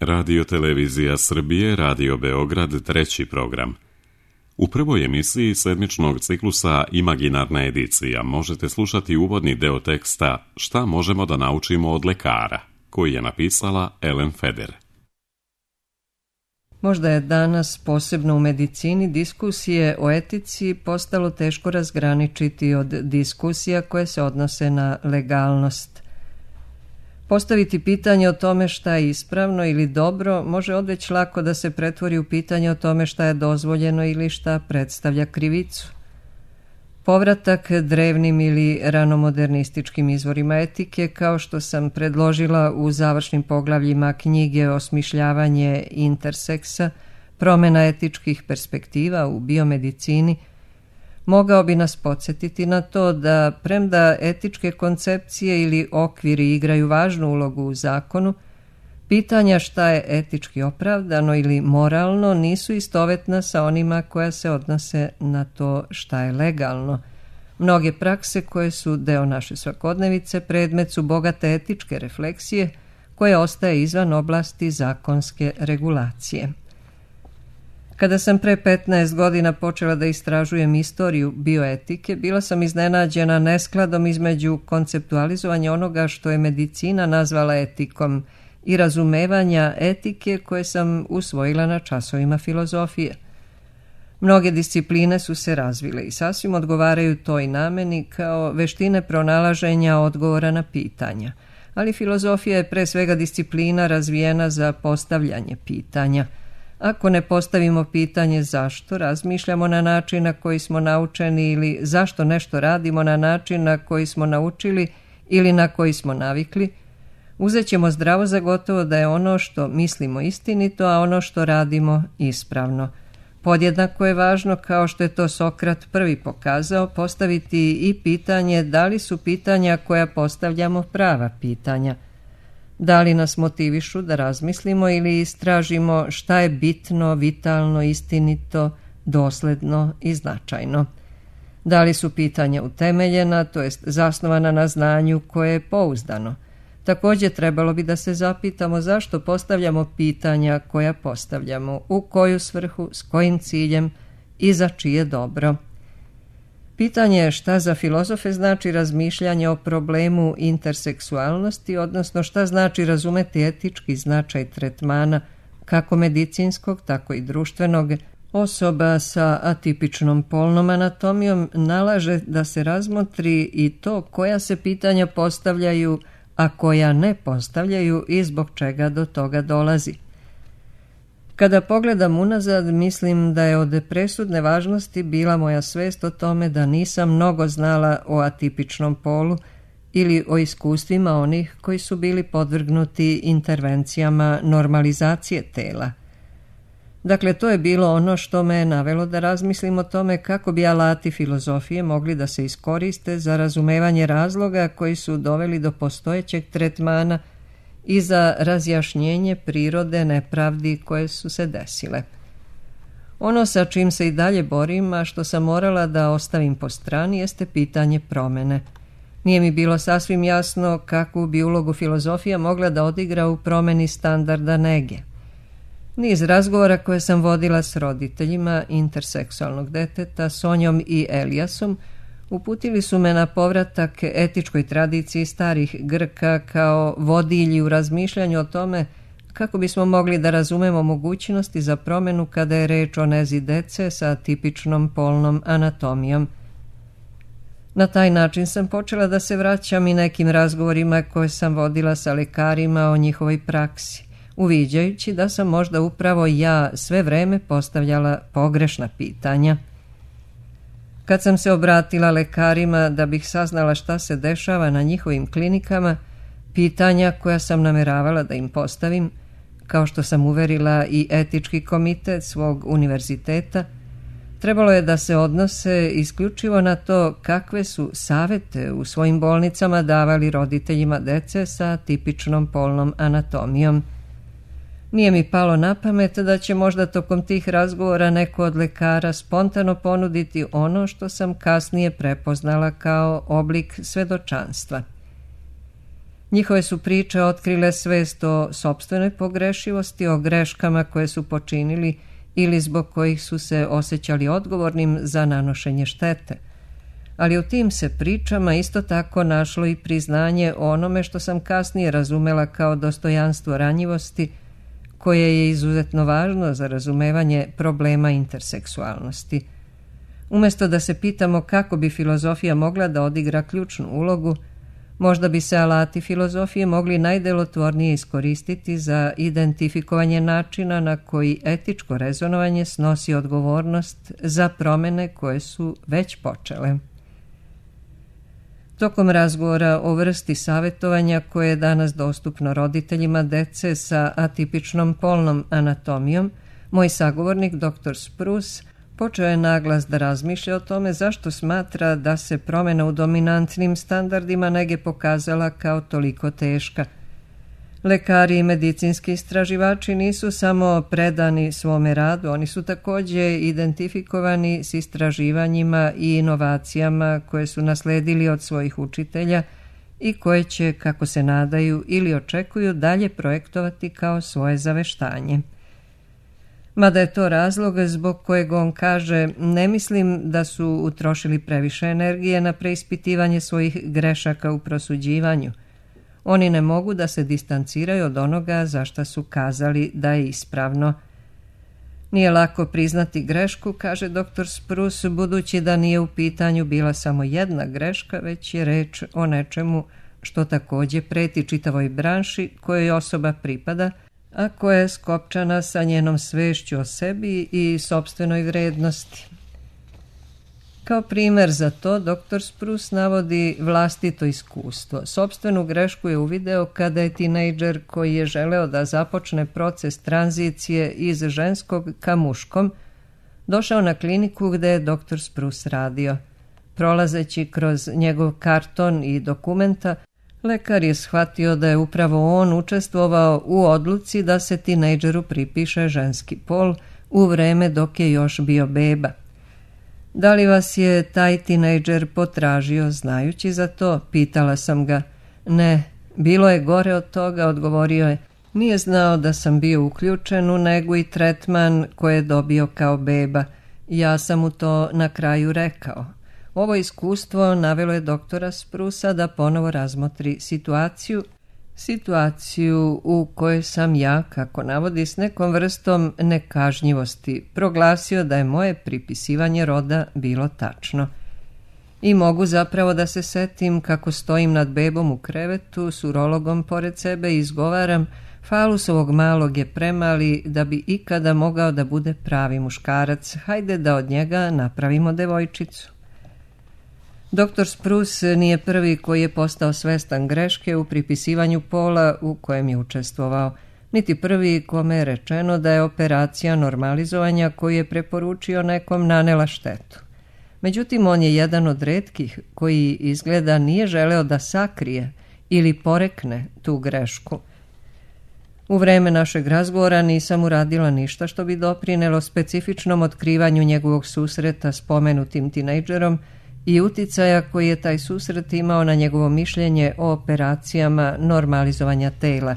Radio Televizija Srbije, Radio Beograd, treći program. U prvoj emisiji sedmičnog ciklusa Imaginarna edicija možete slušati uvodni deo teksta Šta možemo da naučimo od lekara, koji je napisala Ellen Feder. Možda je danas, posebno u medicini, diskusije o etici postalo teško razgraničiti od diskusija koje se odnose na legalnost. Postaviti pitanje o tome šta je ispravno ili dobro može odveć lako da se pretvori u pitanje o tome šta je dozvoljeno ili šta predstavlja krivicu. Povratak drevnim ili ranomodernističkim izvorima etike, kao što sam predložila u završnim poglavljima knjige Osmišljavanje interseksa, promjena etičkih perspektiva u biomedicini, mogao bi nas podsjetiti na to da, premda etičke koncepcije ili okviri igraju važnu ulogu u zakonu, pitanja šta je etički opravdano ili moralno nisu istovetna sa onima koja se odnose na to šta je legalno. Mnoge prakse koje su deo naše svakodnevice predmet su bogate etičke refleksije koje ostaje izvan oblasti zakonske regulacije. Kada sam pre 15 godina počela da istražujem istoriju bioetike, bila sam iznenađena neskladom između konceptualizovanja onoga što je medicina nazvala etikom i razumevanja etike koje sam usvojila na časovima filozofije. Mnoge discipline su se razvile i sasvim odgovaraju toj nameni kao veštine pronalaženja odgovora na pitanja, ali filozofija je pre svega disciplina razvijena za postavljanje pitanja. Ako ne postavimo pitanje zašto razmišljamo na način na koji smo naučeni ili zašto nešto radimo na način na koji smo naučili ili na koji smo navikli, uzet ćemo zdravo za gotovo da je ono što mislimo istinito, a ono što radimo ispravno. Podjednako je važno, kao što je to Sokrat prvi pokazao, postaviti i pitanje da li su pitanja koja postavljamo prava pitanja. Da li nas motivišu da razmislimo ili istražimo šta je bitno, vitalno, istinito, dosledno i značajno. Da li su pitanja utemeljena, to jest zasnovana na znanju koje je pouzdano. Također trebalo bi da se zapitamo zašto postavljamo pitanja koja postavljamo, u koju svrhu, s kojim ciljem i za čije dobro. Pitanje je šta za filozofe znači razmišljanje o problemu interseksualnosti, odnosno šta znači razumeti etički značaj tretmana, kako medicinskog, tako i društvenog. Osoba sa atipičnom polnom anatomijom nalaže da se razmotri i to koja se pitanja postavljaju, a koja ne postavljaju i zbog čega do toga dolazi. Kada pogledam unazad, mislim da je od presudne važnosti bila moja svest o tome da nisam mnogo znala o atipičnom polu ili o iskustvima onih koji su bili podvrgnuti intervencijama normalizacije tela. Dakle, to je bilo ono što me je navelo da razmislim o tome kako bi alati filozofije mogli da se iskoriste za razumevanje razloga koji su doveli do postojećeg tretmana i za razjašnjenje prirode nepravdi koje su se desile. Ono sa čim se i dalje borim, a što sam morala da ostavim po strani, jeste pitanje promene. Nije mi bilo sasvim jasno kakvu bi ulogu filozofija mogla da odigra u promeni standarda nege. Niz razgovora koje sam vodila s roditeljima interseksualnog deteta, Sonjom i Elijasom, uputili su me na povratak etičkoj tradiciji starih Grka kao vodilji u razmišljanju o tome kako bismo mogli da razumemo mogućnosti za promjenu kada je reč o nezi dece sa tipičnom polnom anatomijom. Na taj način sam počela da se vraćam i nekim razgovorima koje sam vodila sa lekarima o njihovoj praksi, uviđajući da sam možda upravo ja sve vreme postavljala pogrešna pitanja. Kad sam se obratila lekarima da bih saznala šta se dešava na njihovim klinikama, pitanja koja sam nameravala da im postavim, kao što sam uverila i etički komitet svog univerziteta, trebalo je da se odnose isključivo na to kakve su savete u svojim bolnicama davali roditeljima dece sa tipičnom polnom anatomijom. Nije mi palo na pamet da će možda tokom tih razgovora neko od lekara spontano ponuditi ono što sam kasnije prepoznala kao oblik svedočanstva. Njihove su priče otkrile svest o sopstvenoj pogrešivosti, o greškama koje su počinili ili zbog kojih su se osjećali odgovornim za nanošenje štete. Ali u tim se pričama isto tako našlo i priznanje o onome što sam kasnije razumela kao dostojanstvo ranjivosti, koje je izuzetno važno za razumevanje problema interseksualnosti. Umjesto da se pitamo kako bi filozofija mogla da odigra ključnu ulogu, možda bi se alati filozofije mogli najdelotvornije iskoristiti za identifikovanje načina na koji etičko rezonovanje snosi odgovornost za promjene koje su već počele. Tokom razgovora o vrsti savjetovanja koje je danas dostupno roditeljima dece sa atipičnom polnom anatomijom, moj sagovornik dr. Spruce počeo je naglas da razmišlja o tome zašto smatra da se promjena u dominantnim standardima nege pokazala kao toliko teška. Lekari i medicinski istraživači nisu samo predani svome radu, oni su također identifikovani s istraživanjima i inovacijama koje su nasledili od svojih učitelja i koje će, kako se nadaju ili očekuju, dalje projektovati kao svoje zaveštanje. Mada je to razlog zbog kojeg on kaže: ne mislim da su utrošili previše energije na preispitivanje svojih grešaka u prosuđivanju. Oni ne mogu da se distanciraju od onoga za šta su kazali da je ispravno. Nije lako priznati grešku, kaže dr. Spruce, budući da nije u pitanju bila samo jedna greška, već je reč o nečemu što također preti čitavoj branši kojoj osoba pripada, a koja je skopčana sa njenom svešću o sebi i sopstvenoj vrednosti. Kao primjer za to, dr. Spruce navodi vlastito iskustvo. Sopstvenu grešku je uvideo kada je tinejdžer koji je želeo da započne proces tranzicije iz ženskog ka muškom došao na kliniku gde je dr. Spruce radio. Prolazeći kroz njegov karton i dokumenta, lekar je shvatio da je upravo on učestvovao u odluci da se tinejdžeru pripiše ženski pol u vreme dok je još bio beba. Da li vas je taj tinejdžer potražio znajući za to? Pitala sam ga. Ne, bilo je gore od toga, odgovorio je. Nije znao da sam bio uključen u negu i tretman koje je dobio kao beba. Ja sam mu to na kraju rekao. Ovo iskustvo navelo je doktora Sprusa da ponovo razmotri situaciju u kojoj sam ja, kako navodi, s nekom vrstom nekažnjivosti proglasio da je moje pripisivanje roda bilo tačno. I mogu zapravo da se setim kako stojim nad bebom u krevetu s urologom pored sebe i izgovaram: falusovog malog je premali da bi ikada mogao da bude pravi muškarac, hajde da od njega napravimo devojčicu. Dr. Spruce nije prvi koji je postao svestan greške u pripisivanju pola u kojem je učestvovao, niti prvi kome je rečeno da je operacija normalizovanja koju je preporučio nekom nanela štetu. Međutim, on je jedan od retkih koji izgleda nije želeo da sakrije ili porekne tu grešku. U vreme našeg razgovora nisam uradila ništa što bi doprinelo specifičnom otkrivanju njegovog susreta s pomenutim tinejdžerom i uticaja koji je taj susret imao na njegovo mišljenje o operacijama normalizovanja tela.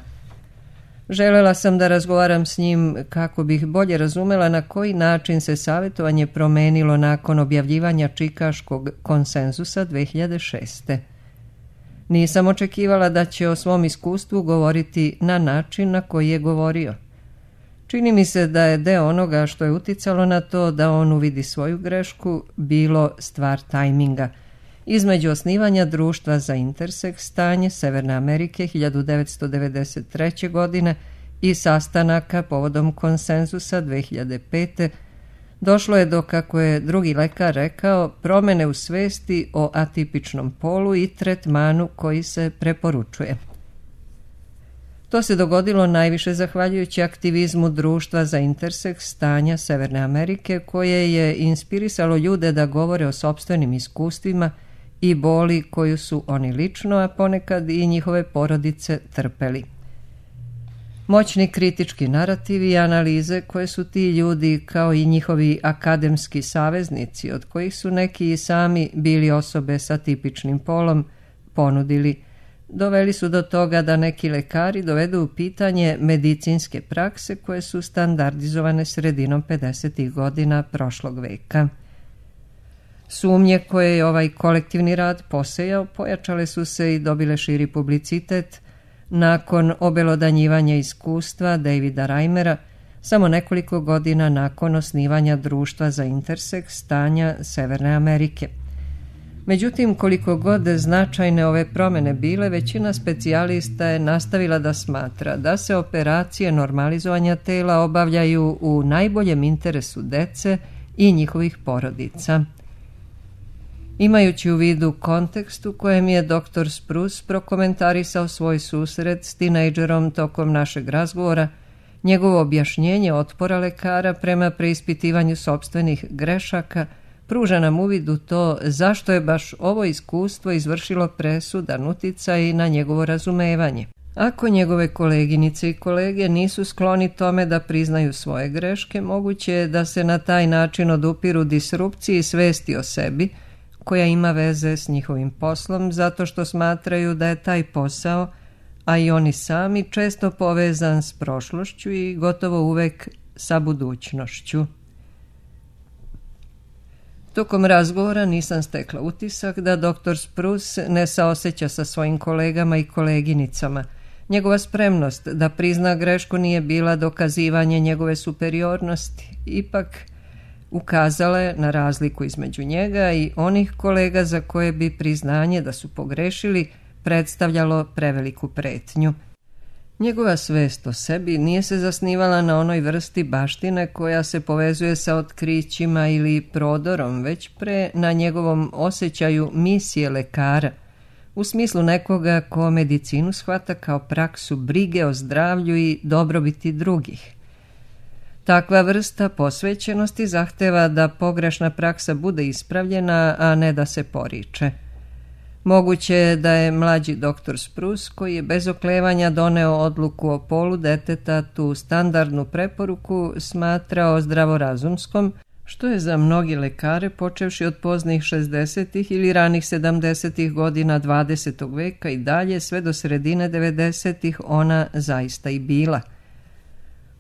Želela sam da razgovaram s njim kako bih bolje razumela na koji način se savjetovanje promenilo nakon objavljivanja Čikaškog konsenzusa 2006. Nisam očekivala da će o svom iskustvu govoriti na način na koji je govorio. Čini mi se da je deo onoga što je uticalo na to da on uvidi svoju grešku bilo stvar tajminga. Između osnivanja Društva za interseks stanje Severne Amerike 1993. godine i sastanaka povodom konsenzusa 2005. došlo je do, kako je drugi lekar rekao, promjene u svesti o atipičnom polu i tretmanu koji se preporučuje. To se dogodilo najviše zahvaljujući aktivizmu Društva za interseks stanja Severne Amerike, koje je inspirisalo ljude da govore o sopstvenim iskustvima i boli koju su oni lično, a ponekad i njihove porodice, trpeli. Moćni kritički narativi i analize koje su ti ljudi, kao i njihovi akademski saveznici, od kojih su neki i sami bili osobe sa tipičnim polom, ponudili, doveli su do toga da neki lekari dovedu u pitanje medicinske prakse koje su standardizovane sredinom 50. godina prošlog veka. Sumnje koje je ovaj kolektivni rad posejao pojačale su se i dobile širi publicitet nakon obelodanjivanja iskustva Davida Reimera samo nekoliko godina nakon osnivanja Društva za interseks stanja Severne Amerike. Međutim, koliko god značajne ove promjene bile, većina specijalista je nastavila da smatra da se operacije normalizovanja tela obavljaju u najboljem interesu dece i njihovih porodica. Imajući u vidu kontekst u kojem je dr. Spruce prokomentarisao svoj susret s tinejdžerom tokom našeg razgovora, njegovo objašnjenje otpora lekara prema preispitivanju sopstvenih grešaka pruža nam uvid u to zašto je baš ovo iskustvo izvršilo presudan uticaj na njegovo razumevanje. Ako njegove koleginice i kolege nisu skloni tome da priznaju svoje greške, moguće je da se na taj način odupiru disrupciji svesti o sebi, koja ima veze s njihovim poslom, zato što smatraju da je taj posao, a i oni sami, često povezan s prošlošću i gotovo uvek sa budućnošću. Tokom razgovora nisam stekla utisak da dr. Spruce ne saoseća sa svojim kolegama i koleginicama. Njegova spremnost da prizna grešku nije bila dokazivanje njegove superiornosti, ipak ukazala je na razliku između njega i onih kolega za koje bi priznanje da su pogrešili predstavljalo preveliku pretnju. Njegova svest o sebi nije se zasnivala na onoj vrsti baštine koja se povezuje sa otkrićima ili prodorom, već pre na njegovom osjećaju misije lekara, u smislu nekoga ko medicinu shvata kao praksu brige o zdravlju i dobrobiti drugih. Takva vrsta posvećenosti zahteva da pogrešna praksa bude ispravljena, a ne da se poriče. Moguće je da je mlađi dr. Spruce, koji je bez oklevanja doneo odluku o polu deteta, tu standardnu preporuku smatrao zdravorazumskom, što je za mnogi lekare, počevši od poznih 60. ili ranih 70. godina 20. veka i dalje sve do sredine 90. ona zaista i bila.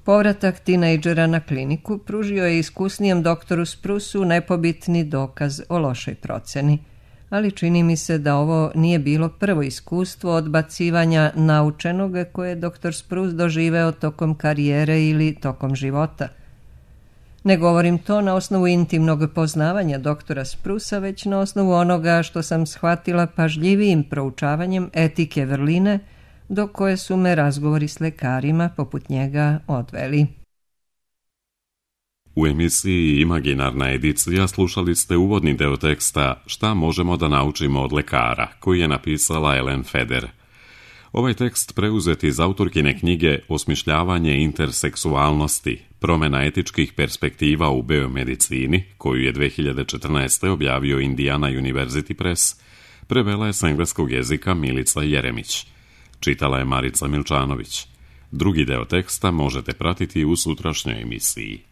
Povratak tinejdžera na kliniku pružio je iskusnijem doktoru Spruceu nepobitni dokaz o lošoj proceni, ali čini mi se da ovo nije bilo prvo iskustvo odbacivanja naučenog koje je dr. Spruce doživeo tokom karijere ili tokom života. Ne govorim to na osnovu intimnog poznavanja doktora Sprucea, već na osnovu onoga što sam shvatila pažljivijim proučavanjem etike vrline, do koje su me razgovori s lekarima poput njega odveli. U emisiji Imaginarna edicija slušali ste uvodni deo teksta Šta možemo da naučimo od lekara, koji je napisala Ellen Feder. Ovaj tekst preuzet iz autorkine knjige Osmišljavanje interseksualnosti, promjena etičkih perspektiva u biomedicini, koju je 2014. objavio Indiana University Press, prevela je s engleskog jezika Milica Jeremić. Čitala je Marica Milčanović. Drugi deo teksta možete pratiti u sutrašnjoj emisiji.